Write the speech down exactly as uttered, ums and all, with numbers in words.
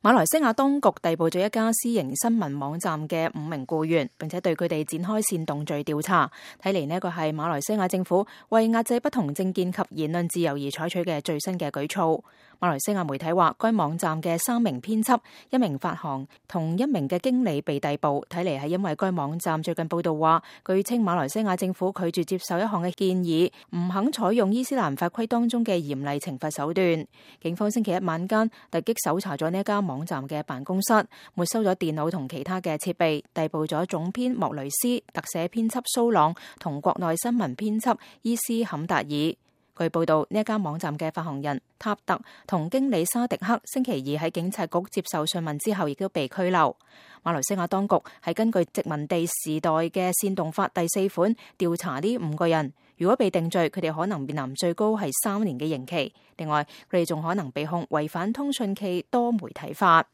馬來西亞當局逮捕咗一家私營新聞網站嘅五名僱員，並且對佢哋展開煽動罪調查。睇嚟呢個係馬來西亞政府為壓制不同政見及言論自由而採取嘅最新嘅舉措。馬來西亞媒體話，該網站嘅三名編輯、一名發行同一名嘅經理被逮捕，睇嚟係因為該網站最近報道話，據稱馬來西亞政府拒絕接受一項嘅建議，唔肯採用伊斯蘭法規當中嘅嚴厲懲罰手段。警方星期一晚間突擊搜查咗呢一家網站嘅辦公室，沒收咗電腦同其他嘅設備，逮捕咗總編莫雷斯、特寫編輯蘇朗同國內新聞編輯伊斯坎達爾。據報道，呢一家網站嘅發行人塔特同經理沙迪克星期二喺警察局接受訊問之後，亦都被拘留。馬來西亞當局係根據殖民地時代嘅煽動法第四款調查呢五個人，如果被定罪，佢哋可能面臨最高係三年嘅刑期。另外，佢哋仲可能被控違反通訊暨多媒體法。